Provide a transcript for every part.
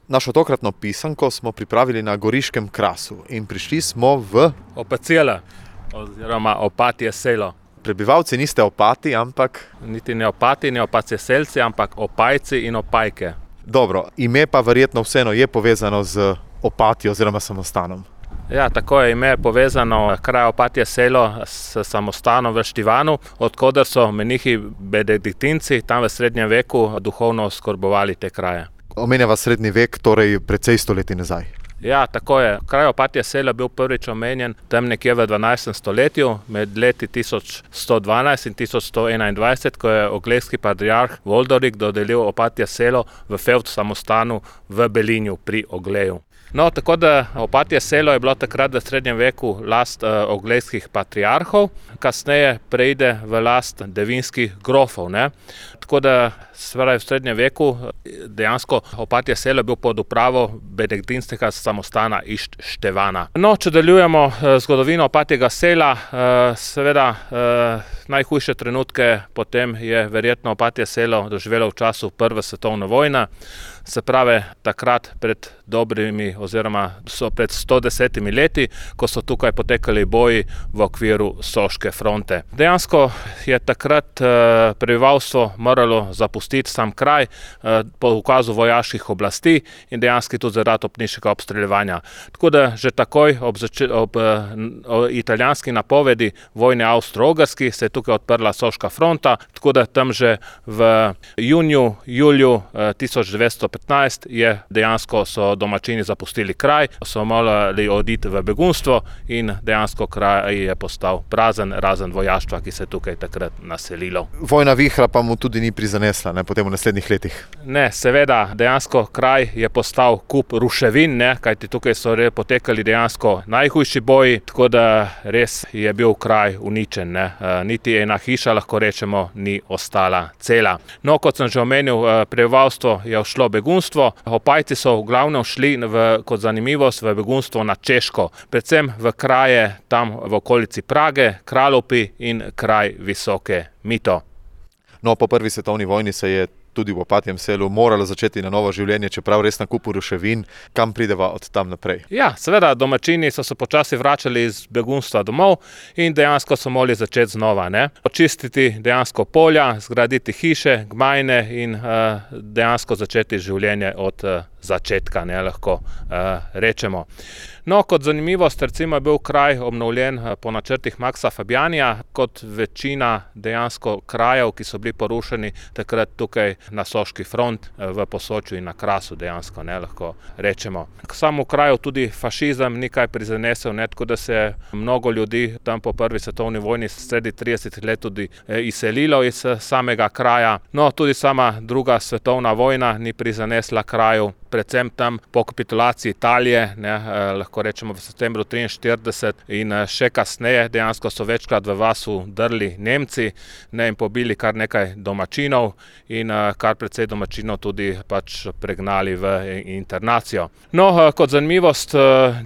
Našo tokratno pisanko smo pripravili na Goriškem krasu in prišli smo v Opacela, oziroma Opatje selo. Prebivalci niste Opati, ampak... Niti ne Opati, ne Opatje selci, ampak Opajci in Opajke. Dobro, ime pa verjetno vseeno je povezano z Opatijo oziroma samostanom. Ja, tako je ime povezano kraj Opatje selo s samostanom v Štivanu, odkoder so menihi benediktinci tam v srednjem veku duhovno oskrbovali te kraje. Omenjava srednji vek, torej precej stoletij nazaj. Ja, tako je. Kraj Opatje selo je bil prvič omenjen tam nekje v 12. stoletju, med leti 1112 in 1121, ko je oglejski patriarh Voldorik dodelil Opatje selo v fevd samostanu v Belinju pri Ogleju. No, tako da Opatje selo je bilo takrat v srednjem veku last oglejskih patriarhov, kasneje preide v last devinskih grofov, ne. Tako da v srednjem veku dejansko Opatje selo je bil pod upravo benediktinskega samostana iz Števana. No, če nadaljujemo zgodovino Opatjega sela, seveda najhujše trenutke potem je verjetno Opatje selo doživelo v času Prve svetovne vojne, se pravi takrat pred dobrimi oziroma pred 110 leti, ko so tukaj potekali boji v okviru Soške fronte. Dejansko je takrat prebivalstvo moralo zapustiti sam kraj po ukazu vojaških oblasti in dejansko tudi zaradi opniškega obstreljevanja. Tako da že takoj ob italijanski napovedi vojne Avstro-Ogrski se je tukaj odprla Soška fronta, tako da tam že v juliju 1915 je dejansko so domačini zapustili kraj, so morali oditi v begunstvo in dejansko kraj je postal prazen, razen vojaštva, ki se je tukaj takrat naselilo. Vojna vihra pa mu tudi ni prizanesla, ne, potem v naslednjih letih. Ne, seveda, dejansko kraj je postal kup ruševin, ne, kajti tukaj so potekali dejansko najhujši boji, tako da res je bil kraj uničen, ne. Niti ena hiša, lahko rečemo, ni ostala cela. No, kot sem že omenil, prebivalstvo je šlo begunstvo. Opajci so v glavnem šli kot zanimivost v begunstvo na Češko, predvsem v kraje tam v okolici Prage, Kralopi in kraj Visoke Mito. No, po prvi svetovni vojni se je tudi v Opatjem selu moralo začeti na novo življenje, čeprav res na kupu ruševin. Kam prideva od tam naprej? Ja, seveda, domačini so se počasi vračali iz begunstva domov in dejansko so morali začeti znova, ne. Očistiti dejansko polja, zgraditi hiše, gmajne in dejansko začeti življenje od začetka, ne, lahko rečemo. No, kot zanimivost, recimo je bil kraj obnovljen po načrtih Maxa Fabianija, kot večina dejansko krajev, ki so bili porušeni takrat tukaj na Soški front, v Posočju in na Krasu dejansko, ne, lahko rečemo. Samo v kraju tudi fašizem ni kaj prizanesel, ne, tako da se je mnogo ljudi tam po prvi svetovni vojni sredi 30 let tudi izselilo iz samega kraja. No, tudi sama druga svetovna vojna ni prizanesla kraju, predvsem tam po kapitulaciji Italije, ne, lahko rečemo v septembru 1943 in še kasneje dejansko so večkrat v vasu drli Nemci, ne, in pobili kar nekaj domačinov in kar precej domačinov tudi pač pregnali v internacijo. No, kot zanimivost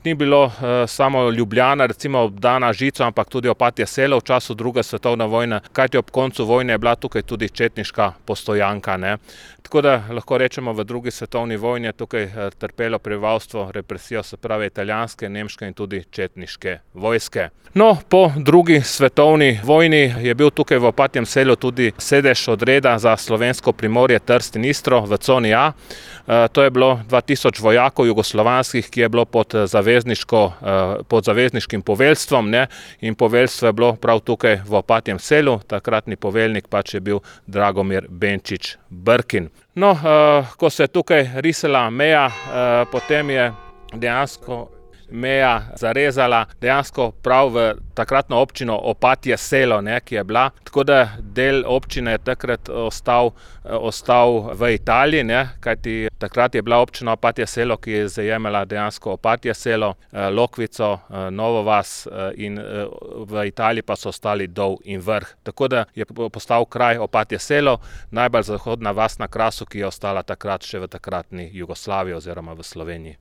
ni bilo samo Ljubljana recimo obdana žico, ampak tudi Opatje selo v času druge svetovne vojne, kajti ob koncu vojne je bila tukaj tudi četniška postojanka, ne. Tako da lahko rečemo, v drugi svetovni vojni je tukaj trpelo prebivalstvo represijo, se pravi italijanske, nemške in tudi četniške vojske. No, po drugi svetovni vojni je bil tukaj v Opatjem selu tudi sedež odreda za slovensko Primorje, Trst in Istro v coni A. To je bilo 2000 vojakov jugoslovanskih, ki je bilo pod zavezniškim poveljstvom, ne, in poveljstvo je bilo prav tukaj v Opatjem selu, takratni poveljnik pač je bil Dragomir Benčič Brkin. No, ko se je tukaj risala meja, potem je dejansko meja zarezala dejansko prav v takratno občino Opatje selo, ne, ki je bila, tako da del občine je takrat ostal v Italiji, ne, kajti takrat je bila občina Opatje selo, ki je zajemala dejansko Opatje selo, Lokvico, Novo vas in v Italiji pa so ostali Dol in Vrh. Tako da je postal kraj Opatje selo najbolj zahodna vas na Krasu, ki je ostala takrat še v takratni Jugoslaviji oziroma v Sloveniji.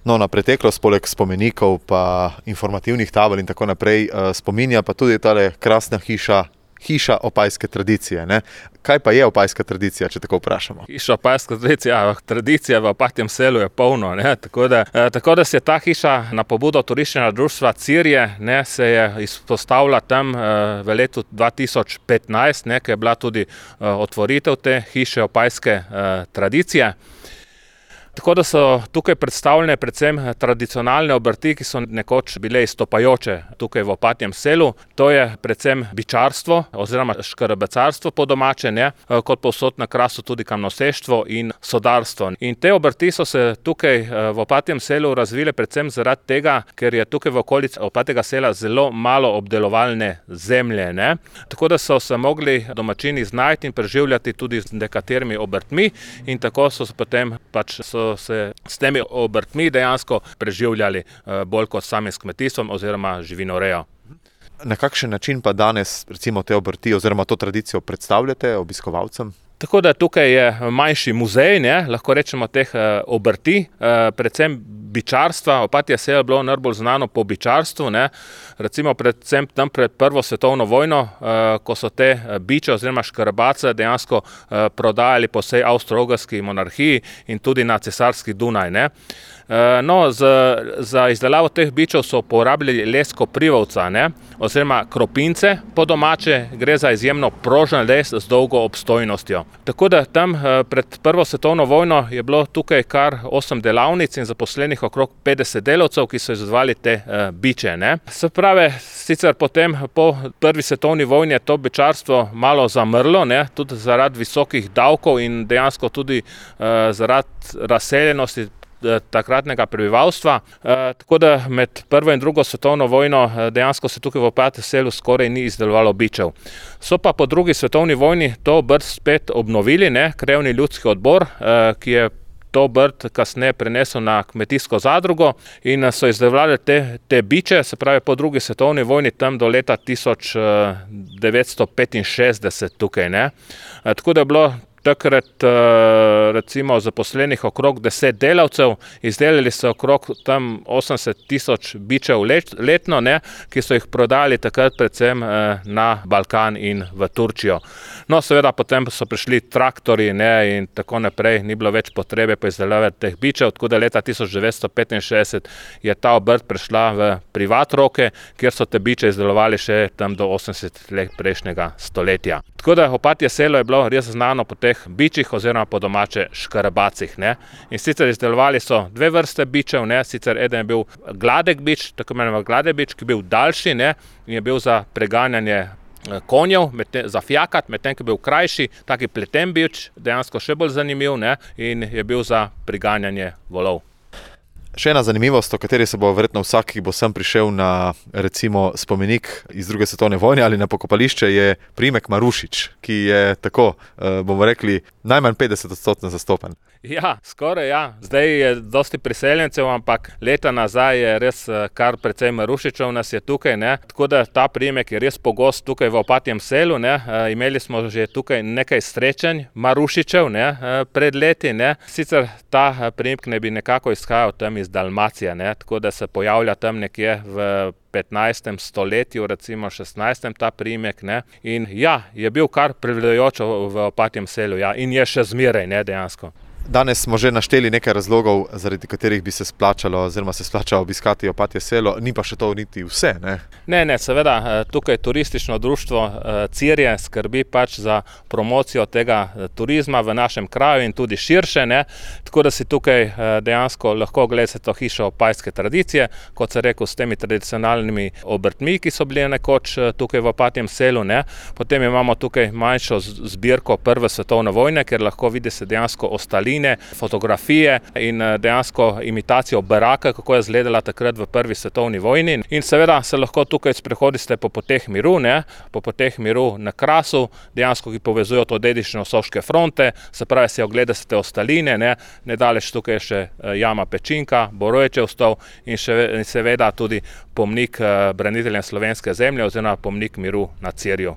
No, na preteklost poleg spomenikov pa informativnih tabel in tako naprej spominja pa tudi tale krasna hiša hiša opajske tradicije. Ne? Kaj pa je opajska tradicija, če tako vprašamo? Hiša opajska tradicija v Opatjem Selu je polno. Ne? Tako da se je ta hiša na pobudo turističnega društva Cirje, ne, se je izpostavila tam v letu 2015, ne, ko je bila tudi otvoritev te hiše opajske tradicije. Tako da so tukaj predstavljene predvsem tradicionalne obrti, ki so nekoč bile izstopajoče tukaj v Opatjem Selu. To je predvsem bičarstvo oziroma škarabecarstvo po domače, ne, kot povsod na Krasu tudi kamnoseštvo in sodarstvo. In te obrti so se tukaj v Opatjem Selu razvile predvsem zaradi tega, ker je tukaj v okolici Opatjega Sela zelo malo obdelovalne zemlje, ne. Tako da so se mogli domačini znajti in preživljati tudi z nekaterimi obrtmi in tako so se potem se s temi obrtmi dejansko preživljali bolj kot sami s kmetijstvom oziroma živinorejo. Na kakšen način pa danes recimo te obrti oziroma to tradicijo predstavljate obiskovalcem? Tako da tukaj je manjši muzej, ne, lahko rečemo teh obrti, predvsem bičarstva. Opatje Selo je bilo najbolj znano po bičarstvu, ne. Recimo predvsem tam pred Prvo svetovno vojno, ko so te biče oziroma škarabace dejansko prodajali po vsej Avstro-Ogrski monarhiji in tudi na cesarski Dunaj, ne. No, za izdelavo teh bičev so uporabljali les koprivovca, ne, oziroma kropince po domače, gre za izjemno prožen les z dolgo obstojnostjo. Tako da tam pred Prvo svetovno vojno je bilo tukaj kar 8 delavnic in zaposlenih okrog 50 delavcev, ki so izdelovali te biče, ne. Se pravi, sicer potem po Prvi svetovni vojni je to bičarstvo malo zamrlo, ne, tudi zaradi visokih davkov in dejansko tudi zaradi razseljenosti takratnega prebivalstva. Tako da med Prvo in Drugo svetovno vojno dejansko se tukaj v Opatjem Selu skoraj ni izdelovalo bičev. So pa po Drugi svetovni vojni to obrt spet obnovili, ne, Krajevni ljudski odbor, ki je to obrt kasneje prenesel na kmetijsko zadrugo in so izdelovali te biče, se pravi po Drugi svetovni vojni tam do leta 1965 tukaj, ne. Tako da je bilo takrat recimo zaposlenih okrog 10 delavcev, izdelali so okrog tam 80,000 bičev letno, ne, ki so jih prodali takrat predvsem na Balkan in v Turčijo. No, seveda potem so prišli traktorji, ne, in tako naprej, ni bilo več potrebe po izdelavi teh bičev, tako da leta 1965 je ta obrt prešla v privat roke, kjer so te biče izdelovali še tam do 80 let prejšnjega stoletja. Tako da Opatje Selo je bilo res znano po teh bičih oziroma po domače škarabacih, ne. In sicer izdelovali so dve vrste bičev, ne, sicer eden je bil gladek bič, tako imenovan gladek bič, ki je bil daljši, ne, in je bil za preganjanje konjev, za fjakat, medtem ko je bil krajši, taki pleten bič, dejansko še bolj zanimiv, ne, in je bil za preganjanje volov. Še ena zanimivost, o kateri se bo verjetno vsak, ki bo sem prišel na recimo spomenik iz Druge svetovne vojne ali na pokopališče, je priimek Marušič, ki je tako, bomo rekli, najmanj 50% zastopen. Ja, skoraj ja. Zdaj je dosti priseljencev, ampak leta nazaj je res kar precej Marušičev nas je tukaj, ne. Tako da ta priimek je res pogost tukaj v Opatjem Selu, ne. Imeli smo že tukaj nekaj srečanj Marušičev, ne, pred leti, ne. Sicer ta priimek ne bi nekako izhajal tam iz Dalmacije, ne, tako da se pojavlja tam nekje v 15. stoletju, recimo 16. ta priimek, ne. In ja, je bil kar prevladujoč v Opatjem Selu, ja, in je še zmeraj, ne, dejansko. Danes smo že našteli nekaj razlogov, zaradi katerih bi se splačalo oziroma se splača obiskati Opatje Selo, ni pa še to niti vse, ne? Ne, seveda, tukaj turistično društvo Cirje skrbi pač za promocijo tega turizma v našem kraju in tudi širše, ne, tako da si tukaj dejansko lahko ogledate to hišo opajske tradicije, kot sem rekel, s temi tradicionalnimi obrtmi, ki so bili nekoč tukaj v Opatjem Selu, ne. Potem imamo tukaj manjšo zbirko Prve svetovne vojne, ker lahko vidi se dejansko ostali fotografije in dejansko imitacijo baraka, kako je izgledala takrat v Prvi svetovni vojni. In seveda se lahko tukaj sprehodite po poteh miru, ne, po poteh miru na Krasu, dejansko ki povezujo to dediščino Soške fronte, se pravi si ogledate ostaline, ne, nedaleč tukaj je še jama Pečinka, Boroječev stol in seveda tudi pomnik braniteljem slovenske zemlje oziroma pomnik miru na Cirju.